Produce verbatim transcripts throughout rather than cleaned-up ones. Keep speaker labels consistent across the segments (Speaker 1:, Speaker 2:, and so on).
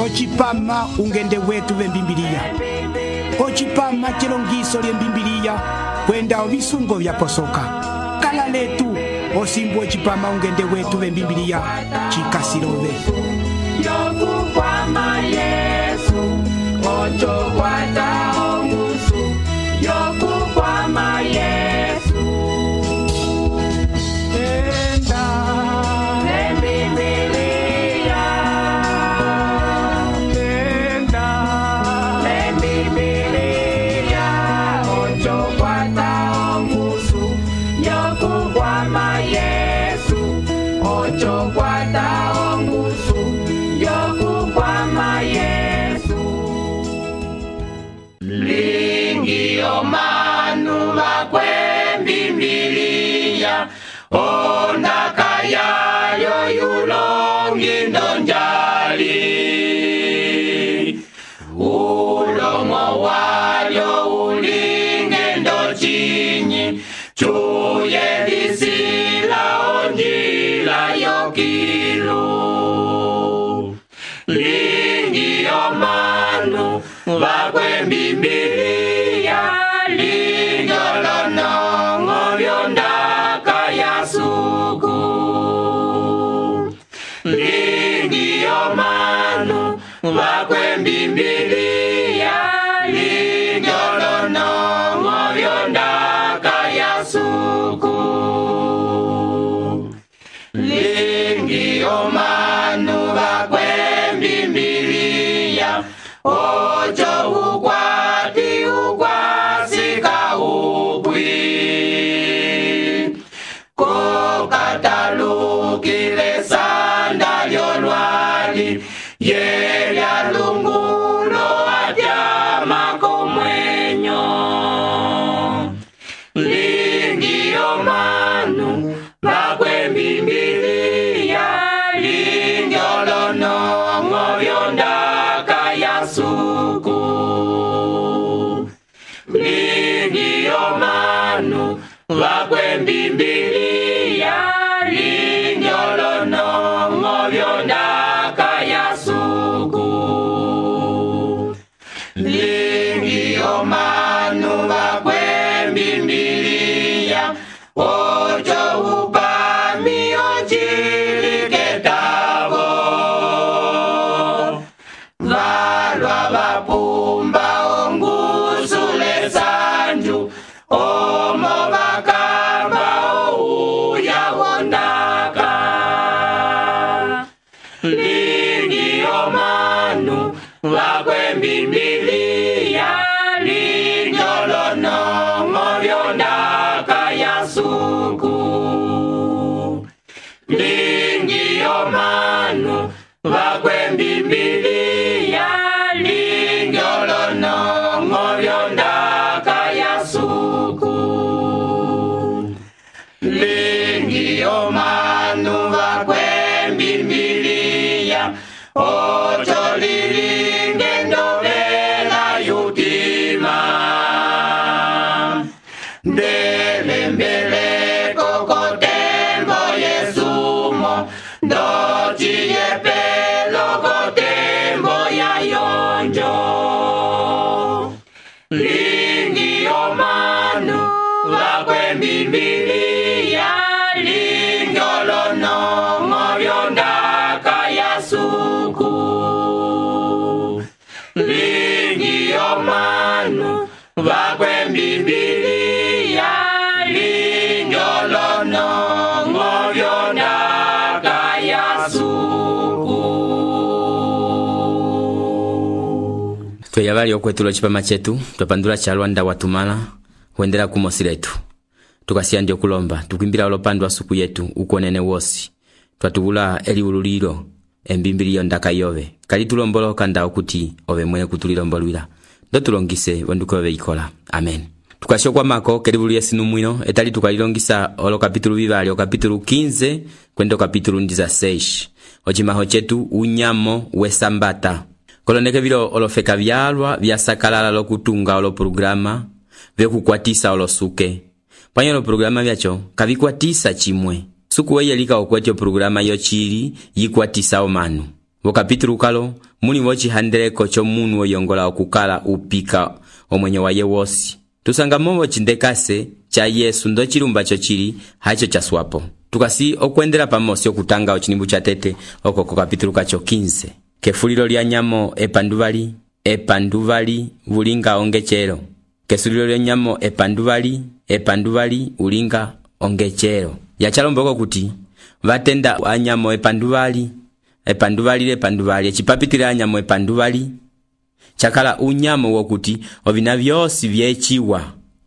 Speaker 1: Ochipama ungende wetu vembimbilia. Ochipama chilongiso lye mbimbilia kwenda ovisungo vya posoka. Kala letu osimbu ochipama ungende wetu vembimbilia chikasirove.
Speaker 2: Yokukwama Yesu ocho kwata ongusu. Yokukwama Yesu enda lembibilia enda lembibilia ocho kwata ongusu. Yokukwama Yesu ocho kwata ongusu. Yokukwama Yesu lingi omanu bakwembimbilia ondaka yayo yulongi ndonjali ulomo walyo ulinge ndochinyi chuye lisila onjila yokilu lingi omanu bakwembimbilia lingolonongo byondaka yasuku lingi omanu bakwembimbilia lingolonongo byondaka yasuku lingi omanu bakwembimbilia ocho ukwati ukwasika upwi kokatalukile sanda lyolwali yelya lungulo atyama komwenyo lingi omanu bakwembimbilia lingolonongo byondaka yasuku lingi omanu bakwembimbilia lingolonongo byondaka yasuku lingi omanu bakwembimbilia ocho upami ochiliketavo valwa vapumba ongusule sanju omo bakamba ouya wondaka lingi omanu bakwembimbilia lingolonongo byondaka yasuku lingi omanu bakwembimbilia lingolonongo byondaka yasuku lingi omanu bakwembimbilia ocho lilinge ndovela yutima ndelembeleko kotembo yesumo ndociyepelo kotembo yayonjo lingi omanu bakwembimbilia lingolonongo byondaka yasuku lingi omanu bakwembimbilia lingolonongo byondaka yasuku.
Speaker 3: Tweyavali okwetulo chipama chetu twapandula cha Lwanda watumala huendela kumosi letu tukasiya ndio kulomba tukwimbila olopandwa suku yetu ukonene wosi twatubula eli ululilo embimbilio ndaka yove kali tulomboloka ndao kuti ove mwene kutulilombolwila ndo tulongise wanduko ove ikola amen. Tukashokwa mako kelibulu yesinu mwino etali tukalilongisa olo kapitulu vivali o kapitulu quinze kwendo kapitulu ndiza seis ochimaho chetu unyamo wesambata koloneke vilo olofeka vyalwa vyasakalala lokutunga olo programa vyekukwatisa olo suke panyo olo programa vyacho kavikwatisa chimwe suku weye lika okwetyo programa yochili yikwatisa omanu vo kapitulu kalo muli vo cihandeleko c'omunu oyongola okukala upika omwenyo waye wosi. Tusangamo vo cindekase ca Yesu ndo cilumba co cili haco caswapo. Tukasi okwendela pamosi okutanga ocinimbu ca tete oko ko kapitulu kaco quinze. Kefulilo lya nyamo epanduvali, epanduvali ulinga ongecero. Kesulilo lya nyamo epanduvali, epanduvali ulinga ongecero. Yachalomboko kuti vatenda anyamo epanduvali, epanduvali epanduvali ecipapitila anyamo epanduvali chakala unyamo wokuti ovina vyosi vyechiwa,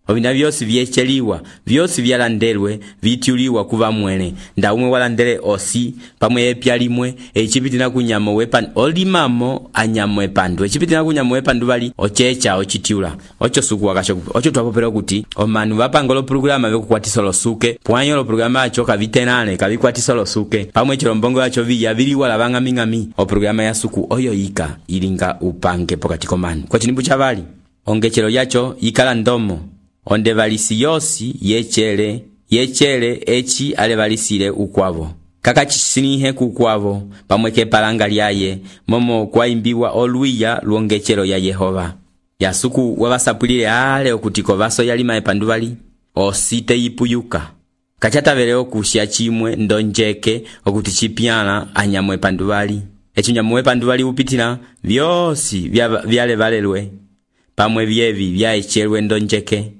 Speaker 3: ovina vyosi vyecheliwa, vyosi vyalandelwe vityuliwa kuva mwene. Nda umwe walandele osi pamwe epyalimwe ecipitina kunyamo wepan olimamo anyamo epandu ecipitina kunyamo epanduvali ochecha ochitiula ocho suku wakasho ocho twapopera kuti omanu vapangolo programa vyokukwatisa olosuke pwanyo lo programa acho kavitenane kavikwatisa olosuke pamwe chilombongo acho viya viliwa lavanga mingami o programa ya suku oyo yika ilinga upange pokati komanu kwa chinimbu chavali ongechelo yacho yikala ndomo onde valisi yosi yechele yechele echi ale valisile ukwavo kaka chisinihe kukwavo pamwe kepalanga lyaye momo kwaimbiwa oluya luongechelo ya Yehova yasuku wavasapulile ale okutiko vaso yalima epanduvali osite yipuyuka kachatavele okushya chimwe ndonjeke okuti chipyana anyamo epanduvali echo nyamo epanduvali upitila vyosi vyale valelwe pamwe vyevi vyaechelwe ndonjeke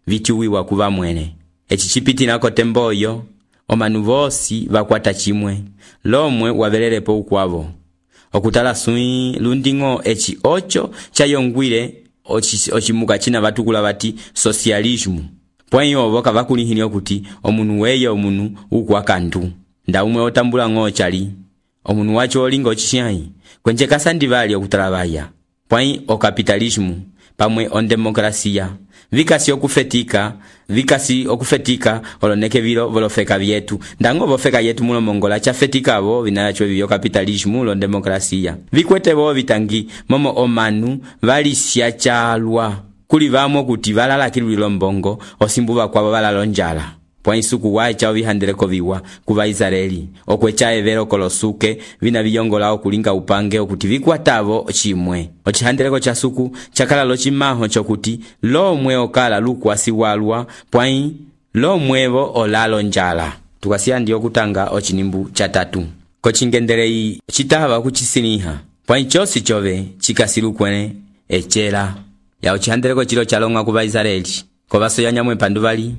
Speaker 3: vityuwiwa kuva mwene. Echi chipitila kote mboyo omanu vosi vakwata chimwe lomwe wavelelepo ukwavo okutala sui lundingo echi ocho chayongwile ochimuka china vatukula vati socialismu pwanyo voka vakulihini okuti omunu weye omunu ukwakandu nda umwe otambula ng'o chali omunu wacho olinga ochishayi kwenche kasandivali okutala vaya pwanyi okapitalismu pamwe ondemokrasia vikasi okufetika vikasi okufetika oloneke vilo volofeka vyetu ndango vofeka yetu mulo mongola chafetika vo vinacho vivyo kapitalismu lo demokrasia vikwete vo vitangi momo omanu valisya chalwa kuli vamo kuti valala kilwilo mbongo osimbuva kwavo valalonjala pwa isuku wae chao vihandeleko viwa kuva Israeli okwecha evero kolosuke vina viyongola okulinga upange okuti vikwatavo chimwe ochihandeleko cha suku chakala lochimaho chokuti lomwe okala lukwasi walwa pwai lomwevo olalo njala tukasiya ndiyo kutanga ochinimbu cha tatu kochingendelei chitava kuchisiniha pwai chosi chove chikasilukwene echela ya ochihandeleko chilo chalonga kuva Israeli kovaso yanyamwe epanduvali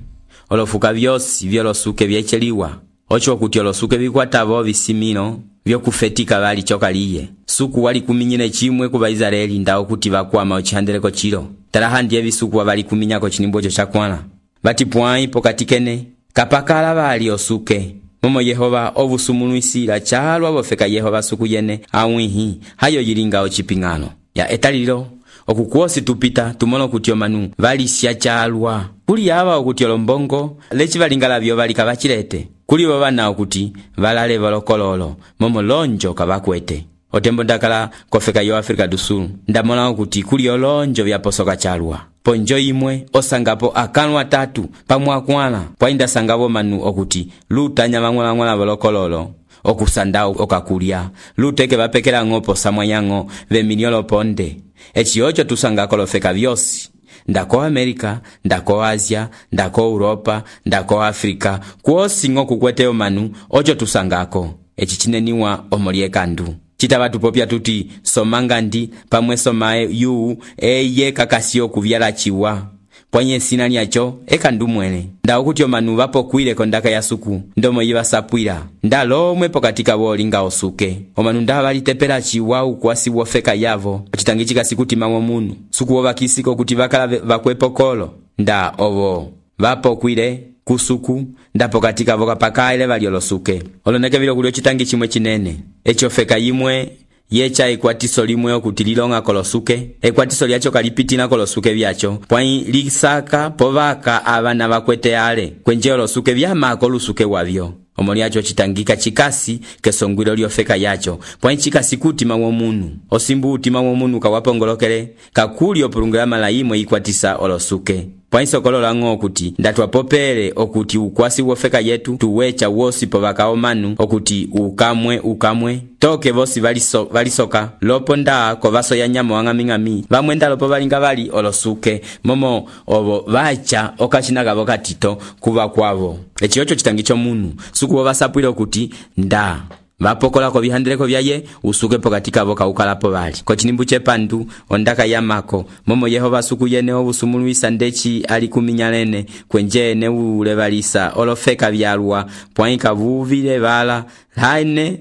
Speaker 3: olofuka vyosi vyolosuke vyecheliwa ocho okuti olosuke vikwatavo visimino vyokufetika vali chokaliye suku wali kuminyine chimwe kuva Israeli ndao kuti vakwama ochihandeleko chilo talaha ndiye visuku wavali kuminyako chinimbo cho chakwana vati pwai pokatikene kapakala vali osuke momo Yehova ovusumunuisila chalwa vofeka Yehova suku yene awihi hayo yilinga ochipingano ya etalilo okukuosi tupita tumono kuti omanu valisya chalwa kuli ava okuti olombongo lechi valingala vyo valika vachilete kuli vana okuti valale valokololo momo lonjo kavakwete otembo ndakala kofeka yo Afrika du Sul ndamona okuti kuli olonjo vyaposoka chalwa ponjo imwe osangapo akanwa tatu pamwakwana pwainda sangavo manu okuti lutanya mangwala ngwala valokololo okusanda okakulya luteke vapekela ngopo samwa yango ve miliolo ponde echi ocho tusanga kolofeka vyosi ndako Amerika ndako Asia ndako Europa ndako Afrika kuosi ngo kukwete omanu ocho tusangako echi chineniwa omoliekandu chitava tupopya tuti somangandi pamwe somae yu eye kakasio kuvyala chiwa pwanye sina nyacho eka ndumwene nda okuti omanu vapokwile kondaka ya suku ndomo yiva sapwila nda lomwe pokatika volinga osuke omanu nda valitepela chiwa ukwasi wofeka yavo chitangichika sikuti mamwo munu suku wovakisiko kuti vakala vakwepokolo nda ovo vapokwile kusuku nda pokatika voka pakaile valiolosuke oloneke vilo kulio chitangi chimwe chinene echofeka yimwe yecha ekwatiso limwe okuti lilonga kolosuke ekwatiso lyacho kalipitina kolosuke vyacho pwai lisaka povaka abana bakwete ale kwenje olosuke vyamako lusuke wavyo omoli yacho chitangika chikasi kesongwilo lyofeka yacho pwai chikasi kutima womunu osimbu utima womunu kawapongolokele kakuli opulungela mala imwe ikwatisa olosuke pwaisokolola ng'o okuti ndatwapopele okuti ukwasi wofeka yetu tuwecha wosi povaka omanu okuti ukamwe ukamwe toke vosi valiso, valisoka lopo nda kovaso ya nyama wang'aming'ami vamwe nda lopo valinga vali olosuke momo ovo vacha okachinagavo katito kuva kwavo eci ocho chitangi chomunu suku vovasapwile okuti nda vapokola ko bihandeleko byaye usuke pokati kavo kaukalapo bali ko chinimbu chepandu ondaka yamako momo Yehova suku yene obusumulwisa ndechi ali kuminyalene kwenje ne ulebalisa olofeka byalwa point kavuvile bala haine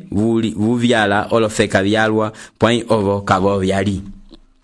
Speaker 3: vuvyala olofeka byalwa point ovo kavo byali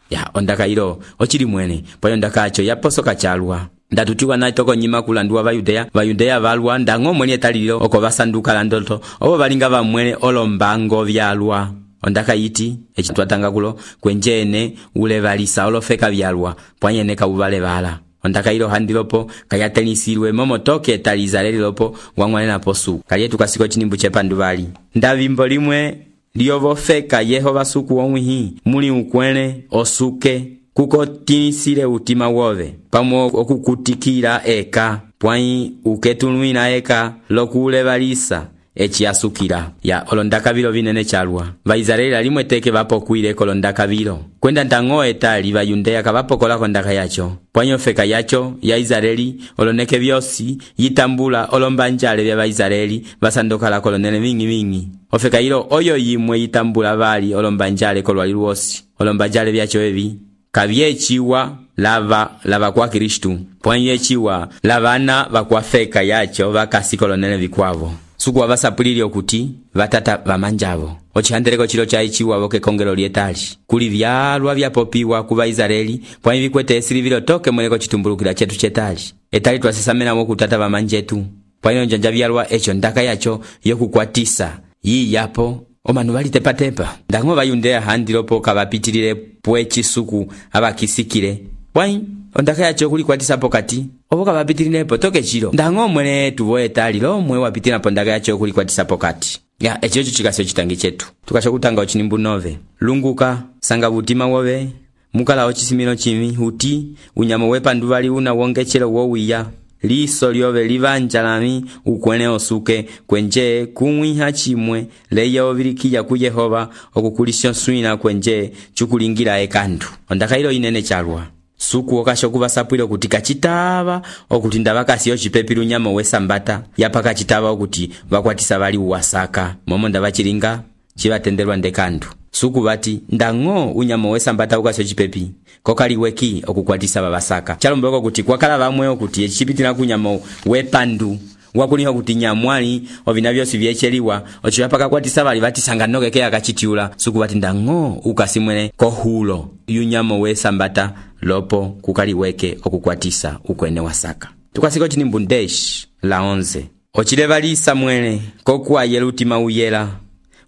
Speaker 3: ya ondaka ilo ochili mwene point ondaka acho yaposoka chalwa ndatutiwa na toko nyima kulanduwa bayudea bayudea balwa ndango mwene talilo oko basanduka landoto obo balinga bamwene olombango byalwa ondaka yiti echitwatanga kulo kwenjene ule balisa olofeka byalwa pwanyene kabubale bala ondaka ilo handilopo kayatelisirwe momo toke talizaleli lopo wangwane na posu kaliye tukasiko chinimbu chepandu bali ndavimbo limwe liyovofeka Yehova suku omwihi muli ukwene osuke kuko tinisile utima wove pamo okukutikira eka pwai uketulwina eka lokule balisa echi asukira ya olondaka bilo binene chalwa Vaisraeli limwe teke vapokwile kolondaka bilo kwenda ntango etali bayundea kabapokola kondaka yacho pwanyo feka yacho ya Israeli oloneke byosi yitambula olombanjale bya Vaisraeli basandokala kolonene mingi mingi ofeka hilo oyo yimwe yitambula bali olombanjale kolwali lwosi olombanjale byacho ebi kabyechiwa lava lava kwa Kristu pwanyechiwa lavana vakwafeka yacho vakasikolonene vikwavo suku wavasapulili okuti vatata vamanjavo ochihandeleko chilo chaichiwa voke kongelo lietali kuli vyalwa vyapopiwa kuva Israeli pwanyi vikwete esili vilo toke mweleko chitumbulukila chetu chetali etali twasisamena moku tata vamanjetu pwanyi njanja vyalwa echo ndaka yacho yokukwatisa yi yapo omanu bali tepa tepa ndango bayundea handilopo kabapitilile pwechi suku abakisikile wai ondaka yacho kuli kwatisa pokati obo kabapitilile potoke chilo ndango mwene tuvoe tali lo mwe wapitila pondaka yacho kuli kwatisa pokati ya echo chikasyo chitangi chetu tukasho kutanga ochinimbu nove lunguka sanga butima wobe mukala ochisimino chimi huti unyamo wepandu bali una wongechelo wowiya liso lyove livanjalami ukwene osuke kwenje kumwiha chimwe leya ovilikiya ku Yehova okukulisyo swina kwenje chukulingira ekandu ondaka ilo inene chalwa suku okasho kubasapwile okuti kachitaba okuti ndabakasiyo chipepilu nyama wesambata yapaka chitaba okuti bakwatisa bali uwasaka momo ndabachilinga chibatenderwa ndekandu suku bati ndango unyamo wesambata ukasyo chipepi kokali weki okukwatisa babasaka chalombeko kuti kwakala bamwe okuti echipitira kunyamo wepandu wakuniho kuti nyamwali ovinavyo sivyecheliwa ochiyapaka kwatisa bali batisanga nokeke akachitiula suku bati ndango ukasimwene kohulo yunyamo wesambata lopo kukali weke okukwatisa ukwene wasaka tukasiko chinimbu ndeshi la onze ochilebalisa mwene kokuwa yelutima uyela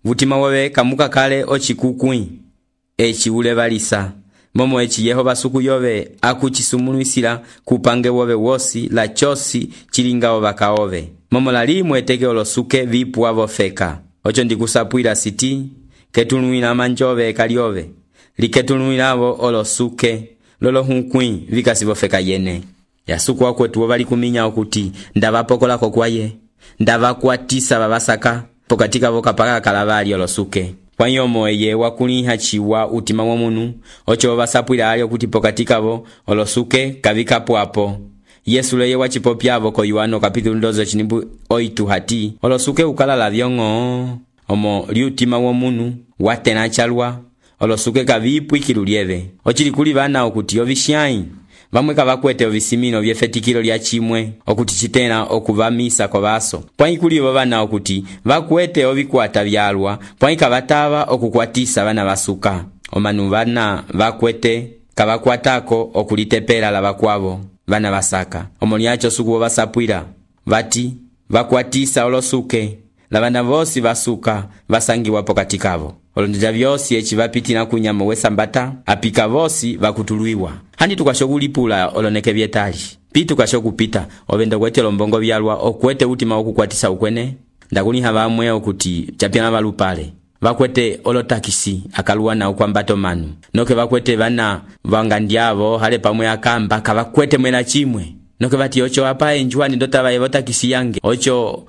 Speaker 3: vutima wobe kamuka kale ochikukwi echi ulebalisa momo echi Yehova suku yobe akuchisumuluisila kupange wobe wosi la chosi chilinga obaka obe momo lalimwe teke olosuke vipu avofeka ocho ndikusapwila siti ketulwina manjove kaliobe liketulwinavo olosuke lolo hunkwi vikasivofeka yene ya suku wakwetu wobali kuminya okuti ndavapokola kokwaye ndavakwatisa babasaka pokatika voka paka kalabali olosuke Wanyomo eye wakuliha chiwa utima womunu ocho basapwila ali okuti pokatika vo olosuke kavika pwapo Yesu leye wachipopyavo ko Yohano kapitulu ndozo chinimbu oitu hati olosuke ukalala vyongo omo liutima womunu watena chalwa olosuke kavipu ikilulieve ochili kuli bana okuti ovishai vamwe kavakwete ovisimino vyefetikilo lya chimwe okuti chitena okuvamisa kwa baso pwanyi kuli bana okuti vakwete ovikwata vyalwa pwanyi kavatava okukwatisa bana basuka omanu bana vakwete kavakwatako okulitepela la bakwavo bana basaka omolyacho suku basapwila vati vakwatisa olosuke la bana vosi basuka basangiwa pokatikavo olondja vyosi echi vapitina kunyama wesambata apika vosi vakutuluiwa handi tukashogulipula oloneke vyetali pi tukashogupita ovenda kwete lombongo vyalwa okwete utima okukwatisa ukwene ndakuliha bamwe okuti chapiana balupale vakwete olotakisi akaluwa nawo kwambato manu noke vakwete vana vangandiavo hale pamwe akamba kavakwete mwena chimwe noke vati ocho apa enjuani ndota vaye votakisi yange ocho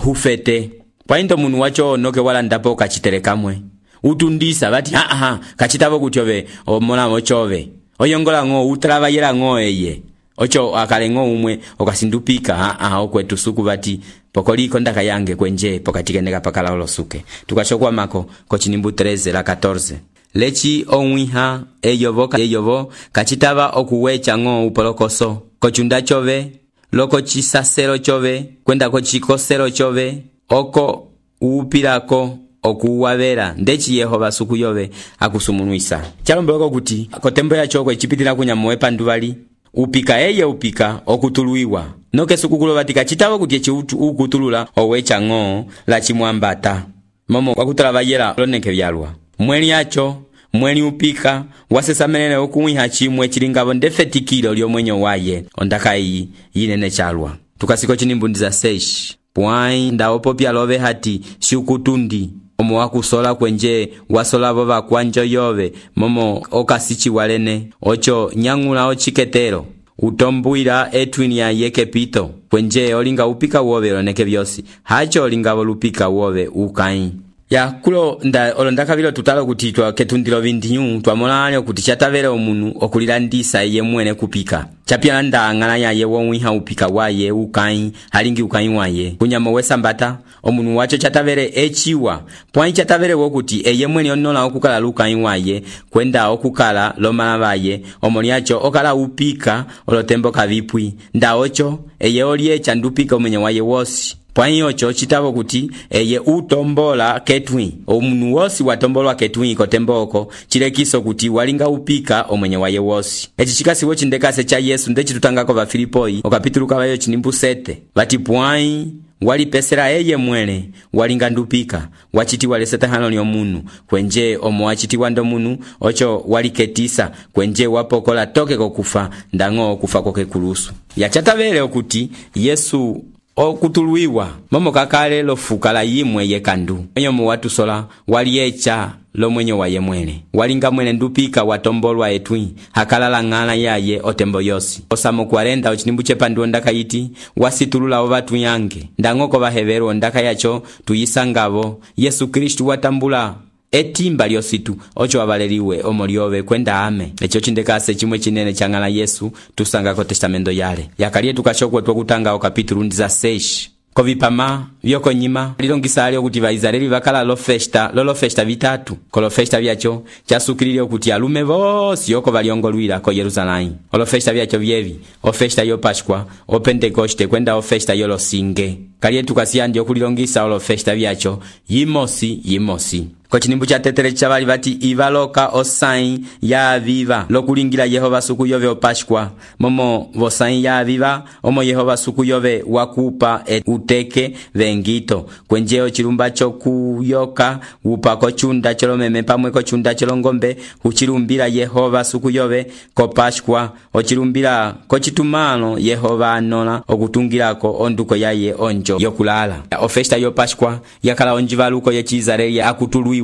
Speaker 3: hufete paindo munu wacho noke wala ndapo kachitere kamwe utundisa vati ha ha kachitavo kutyove omona ochove oyongola ngo utrava yera ngo eye ocho akalengo umwe okasindupika ha ha okwetu suku vati pokoliko ndaka yange kwenje pokatikendeka pakala olosuke tukashokwa mako kochinimbu treze la catorce lechi onwiha eyovo eyovo kachitava okuwecha ngo upolokoso kochunda chove loko chisasero chove kwenda kochikosero chove oko upirako okuwavera ndechi Yehova suku yove akusumunuisa chalombeloko kuti kotembo ya chokwe chipitira kunyamowe panduvali upika eye upika okutuluiwa noke suku kulovatika chitavo kuti echiutu ukutulula owecha ngo la chimwambata momo wakutala vayela loneke vyalwa mweli yacho mweli upika wasesamenele okuwiha chimwe chilingavo ndefetikilo lyomwenyo waye ondaka iyi yinene chalwa tukasiko chinimbundiza seish pwai ndaopopya love hati siukutundi omo wakusola kwenje wasolavo vakwanjo yove momo okasichi walene ocho nyangula ochiketero utombuira etwini ya yeke pito kwenje olinga upika wove loneke vyosi hacho olinga volupika wove ukai ya kulo nda olondaka vilo tutalo kuti twa ketundilo vindinyu twamolane kuti chatavere omunu okulilandisa ye mwene kupika chapya nda ngana ya ye wonwiha upika waye ukai halingi ukai waye kunyamo wesambata omunu wacho chatavere echiwa pwani chatavere wokuti eye mwene onola okukala lukai waye kwenda okukala lomala vaye omoni yacho okala upika olotembo kavipwi nda ocho eye olie chandupika omenye waye wosi pwani ocho chitavo kuti eye utombola ketwi omunu wosi watombolwa ketwi kotemboko chilekiso kuti walinga upika omwenye waye wosi echi chikasiwo chindekase cha Yesu ndechi tutangako va Filipoi okapituluka vayo chinimbu sete vati pwani walipesera eye mwene walinga ndupika wachiti waleseta hano ni omunu kwenje omo wachiti wando munu ocho waliketisa kwenje wapokola toke kokufa ndango kufa koke kulusu yachatavele okuti Yesu okutuluiwa momo kakale lofuka la yimwe yekandu enyo mu watu sola waliecha lo mwenye waye mwene walinga mwene ndupika watombolwa etwi hakalala ngana yaye otembo yosi osamo kwarenda ochinimbu chepandu ndaka yiti wasitulula ovatu yange ndangoko bahevero ndaka yacho tuyisangavo Yesu Kristu watambula etimba lyositu ocho avaleliwe omolyove kwenda ame echo chindekase chimwe chinene changala Yesu tusanga ko testamento yale yakalie tukashokwe twakutanga okapitulu ndiza sesh kovipama vyoko nyima lilongisa alio kuti vaizraeli vakala lo festa lolo festa vitatu kolo festa vyacho chasukilile kuti alume vosi yoko valiongolwira ko Yerusalemu olo festa vyacho vyevi o festa yo Pascua o Pentecoste kwenda o festa yo losinge kalie tukasiandi okulilongisa olo festa vyacho yimosi yimosi kochinimbu cha tetere chavali vati ivaloka osai ya aviva lokulingira Yehova suku yove o Pascua momo vosai ya aviva omo Yehova suku yove wakupa et uteke vengito kwenjeo chilumba chokuyoka upako chunda cholomeme pamwe ko chunda cholongombe uchilumbira Yehova suku yove ko Pascua ochilumbira ko chitumano Yehova anola okutungirako onduko yaye onjo yokulala o festa yo Pascua yakala onjivaluko ye Israeli akutulu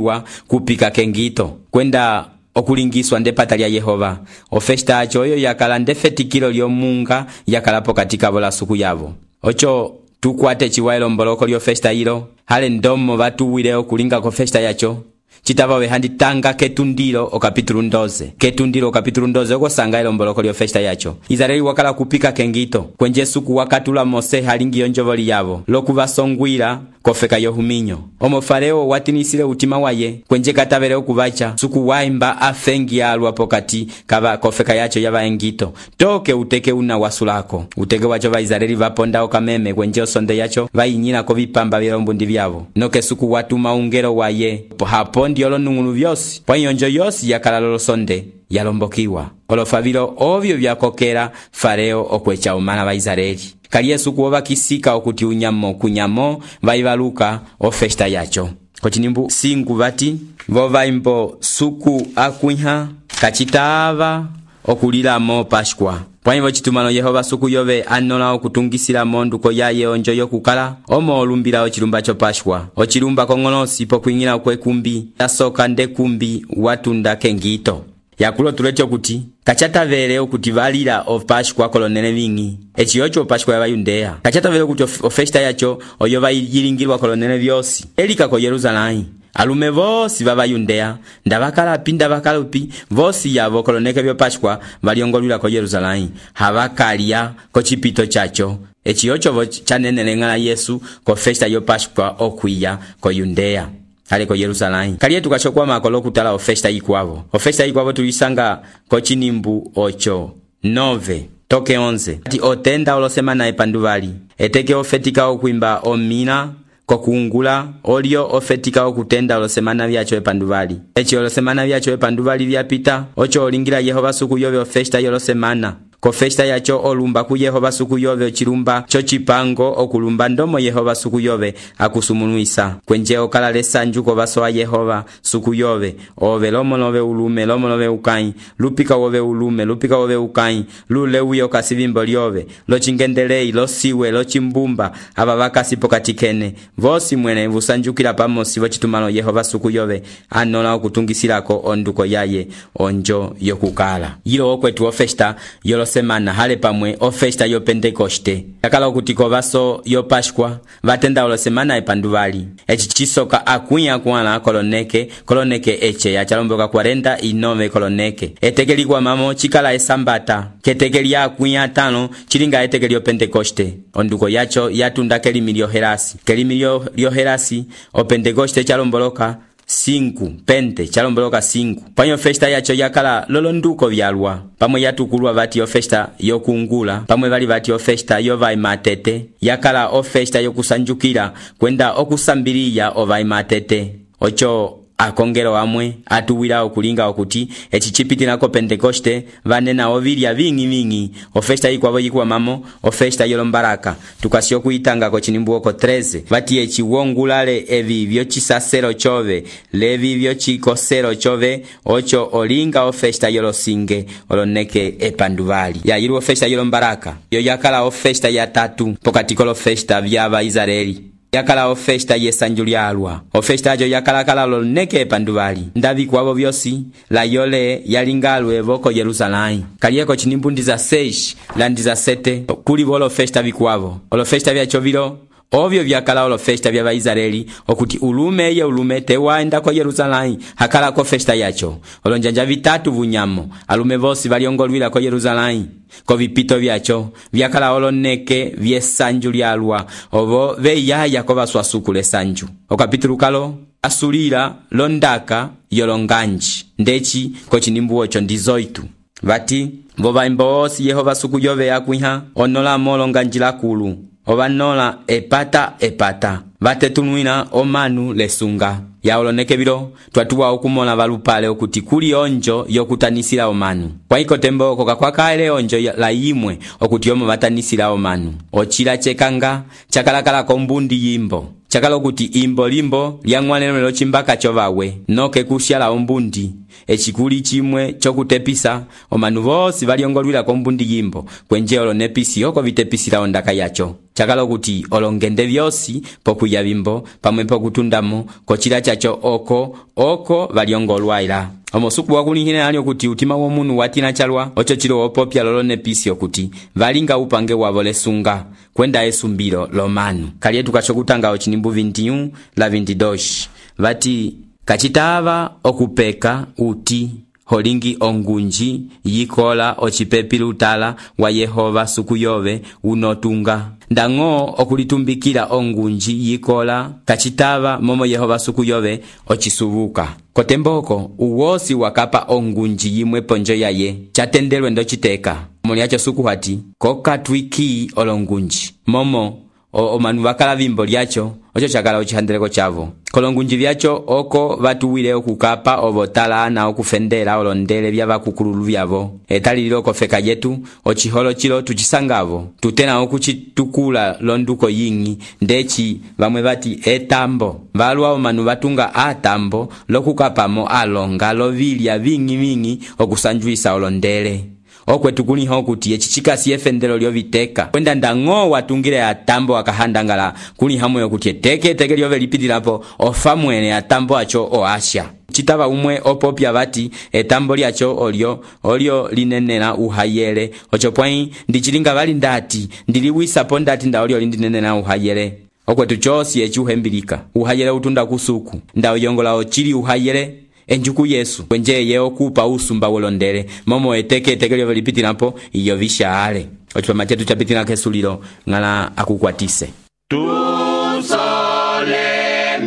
Speaker 3: kupika kengito kwenda okulingiswa ndepata lya Yehova o festa acho oyo yakala ndefetikilo lyomunga yakalapo katika bola suku yavo ocho tukwate chiwailo mboloko lyo festa hilo hale ndomo vatuwile okulinga ko festa yacho chitava behandi tanga ketundilo okapitulu ndoze ketundilo okapitulu ndoze okosanga ilo mboloko lyo festa yacho Israeli wakala kupika kengito kwenje suku wakatula Mose halingi yonjovoli yavo lokuvasongwira kofeka yohuminyo omo Farao watinisile utima waye kwenje katavele okuvacha suku waimba afengi alwa pokati kava kofeka yacho yava engito toke uteke una wasulako uteke wacho va Israeli vaponda okameme kwenje osonde yacho vainyina ko vipamba vyombundi vyavo noke suku watu maungero waye hapo ndiolo nungunu vyosi kwa yonjo yosi yakala lolosonde yalombokiwa olofavilo ovyo vyakokera Farao okwecha omana va Israeli kali Yesu kuova kisika okuti unyamo kunyamo vaivaluka o festa yacho kochinimbu singu vati vovaimbo suku akuiha kachitava okulila mo Pascua pwanyivo citumano Yehova suku yove anola okutungisila monduko yaye onjo yokukala omo olumbila ocilumba copashwa ocilumba kong'olosi pokwing'ila kwekumbi yasoka ndekumbi watunda kengito yakulo tulete okuti kachatavele okuti valila opashwa kolonene ving'i eciyo co opashwa yabayundeya kachatavele okuti ofesta yacho oyo vayilingilwa kolonene vyosi elika ko Yerusalai alume vosi vabayundeya ndavakalapi ndavakalapi vosi yavo koloneke vyopashwa valyongolwila ko Yerusalai havakalya kocipito chacho eciyo covo chaneneleng'ala Yesu ko festa yopashwa okwiya ko Yundeya ale ko Yerusalai kaliye tukashokwa makolo kutala ofesta ikwavo ofesta ikwavo tulisanga ko cinimbu ocho nove toke onze ati otenda olosemana epanduvali eteke ofetika okwimba omina kokungula olio ofetika okutenda olosemana vyacho epanduvali eci olosemana vyacho epanduvali vyapita ocho olingira Yehova suku yove ofesta yolosemana ko festa yacho olumba ku Yehova suku yove ochilumba cho chipango okulumba ndomo Yehova suku yove akusumunuisa kwenje okala lesanju ko vaso wa Yehova suku yove ove lomo nove ulume lomo nove ukai lupika wove ulume lupika wove ukai lule uyo kasivimbo lyove lo chingendelei lo siwe lo chimbumba aba vakasi pokatikene vosi mwene vusanjukila pamosi vochitumano Yehova suku yove anola okutungisilako onduko yaye onjo yokukala yilo okwetu ofesta yolo semana hale pamwe ofesta yo Pentekoste yakala okutiko vaso yo Pashwa vatenda olo semana epanduvali eci chisoka akunya kuala koloneke koloneke eche ya chalomboka cuarenta y nueve koloneke etekeli kwa mamo chikala esambata ketekeli akunya tano chilinga etekeli yo Pentekoste onduko yacho yatunda kelimi lyoherasi kelimi lyoherasi o Pentekoste chalomboloka cinco pente chalomboloka cinco panyo festa yacho yakala lolonduko vyalwa pamwe yatukulwa vati yo festa yokungula pamwe vali vati yo festa yo vai matete yakala o festa yokusanjukira kwenda okusambiriya o vai matete ocho akongero amwe atuwira okulinga okuti eci chipitila ko Pentekoste vanena ovilya vingi vingi ofesta ikwavo yikuwa mamo ofesta yolombaraka tukasio kuitanga ko cinimbu oko treze vati eci wongulale evi vyo chisasero chove levi vyo chikosero chove ocho olinga ofesta yolosinge oloneke epanduvali ya yiru ofesta yolombaraka yo yakala ofesta ya tatu pokati ko festa vyaba Israeli yakala ofesta yesanjulyalwa ofesta ajo yakala kala lolneke epanduvali ndavi kwavo vyosi la yole yalingalwe voko Yerusalai kaliyeko cinimbu ndiza seis la ndiza sete kuli volo festa vikwavo olo festa vyacho vilo ovyo vyakala olo festa vya Israeli okuti ulume ye ulume tewaenda ko Yerusalai hakala ko festa yacho olonjanja vitatu vunyamo alume vosi valiongolwila ko Yerusalai ko vipito vyacho vyakala oloneke vyesanju lyalwa ovo veyaya ko vaswasukule sanju okapitulu kalo asulira londaka yolonganji ndeci ko cinimbu ocho ndizoitu vati vovaimbo osi Yehova suku yove yakwiha onola molonganjila kulu ovanola epata epata vatetunwina omanu lesunga yaoloneke vilo twatuwa okumola valupale okuti kuli onjo yokutanisila omanu kwa iko tembo koka kwakaele onjo la imwe okuti omo vatanisila omanu ochila chekanga chakalakala kombundi yimbo chakala okuti imbo limbo lyang'wanelo lo chimbaka chovawe noke kusyala ombundi echikuli chimwe chokutepisa omanu vosi valyongolwila kombundi yimbo kwenje olonepisi oko vitepisila ondaka yacho chakala okuti olongende vyosi pokuya bimbo pamwe pokutundamo kochila chacho oko oko valyongolwaila omosuku wakulihine ali okuti utima womunu watina chalwa ocho chilo opopya lolonepisi okuti valinga upange wavo lesunga kwenda esumbilo lomanu kaliye tukachokutanga ochinimbu veintiuno la veintidos vati kachitava okupeka uti holingi ongunji yikola ochipepi lutala wa Yehova suku yove unotunga ndango okulitumbikila ongunji yikola kachitava momo Yehova suku yove ochisubuka kotemboko uwosi wakapa ongunji yimwe ponjo yaye chatendelwe ndo chiteka muli yacho suku hati kokatwiki olongunji momo omanu vakala vimbo lyacho ocho chakala ochihandeleko chavo kolongunji vyacho oko vatuwile okukapa ovotala na okufendela olondele vya vakukululu vyavo etalililo kofeka yetu ochiholo chilo tuchisangavo tutena okuchitukula londuko yingi ndeci vamwe vati etambo valwa omanu vatunga atambo lokukapamo alonga lovilya vingi vingi okusanjuisa olondele okwetu kuliho kuti eci cikasi efendelo lyoviteka kwenda ndang'o watungile atambo akahandangala kulihamoyo kuti eteke eteke lyove lipitilapo ofa mwene atambo aco oasha citava umwe opopya vati etambo lyaco olyo olyo linenela uhayele oco pwai ndicilinga vali ndati ndiliwisapo ndati nda olyo lindinenela uhayele okwetu cosi eci uhembilika uhayele utunda kusuku nda uyongola ocili uhayele enjuku Yesu kwenje ye okupa usumba wolondele momo eteke eteke lyove lipitilapo iyo vishaale ocipama cetu capitila kesulilo ng'ala akukwatise
Speaker 2: tusole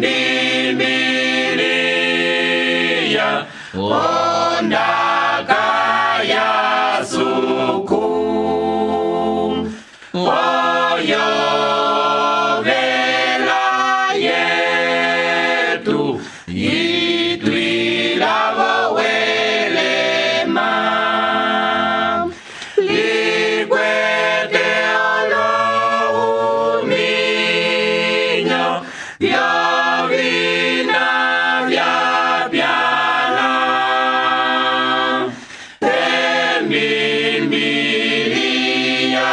Speaker 2: Biblia ondaka ya suku oyo vela yetu itwila welema likwete olohuminyo vyovina vya pyala emimbilia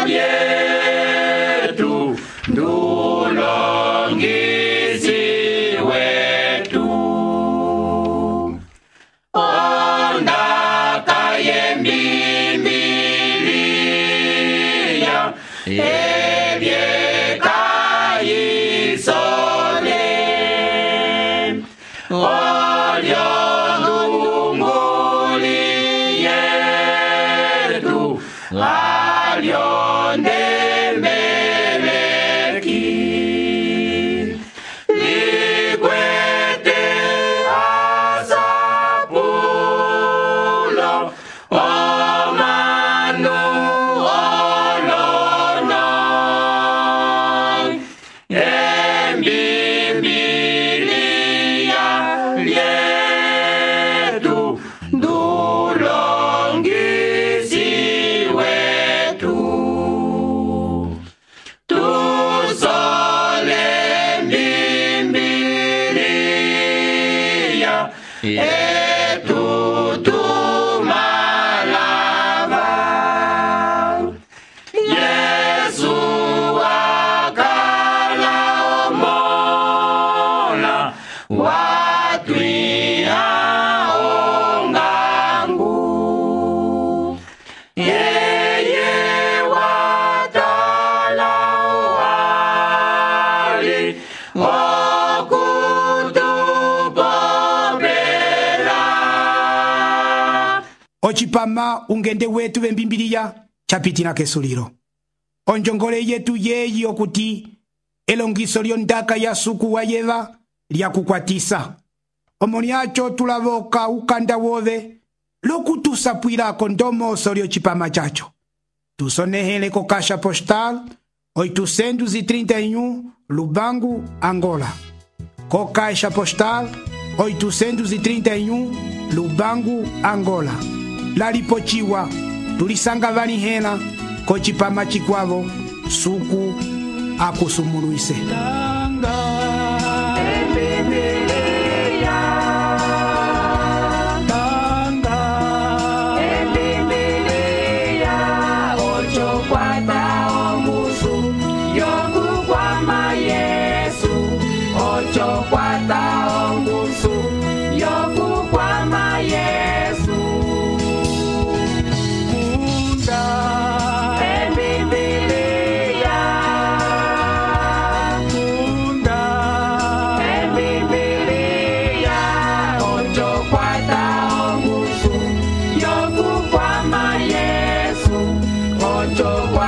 Speaker 2: vyetu ndulongisi wetu ondaka yembimbilia evyekayisole olyo ndunguli yetu alyo ndemeleki likwete asapulo omanu olono embibilia lyetu ndulongisi wetu tusole Biblia etutumalava Yesu akala omola watwiha ongangu yeye watala wali okutupopela
Speaker 1: ocipama ungende wetu vembimbiliya capitila kesulilo onjongole yetu yeyi okuti elongiso lyondaka ya suku wa yeva lyakukwatisa omo lyaco tulavoka ukanda wove lokutusapwilako ndomoso lyocipama caco tusonehele ko caixa postal oitocentos e trinta e um Lubango, Angola. Co caixa postal oitocentos e trinta e um Lubango, Angola. Lalipochiwa tulisanga valihela ko cipama cikwavo suku akusumuluise.
Speaker 2: Yo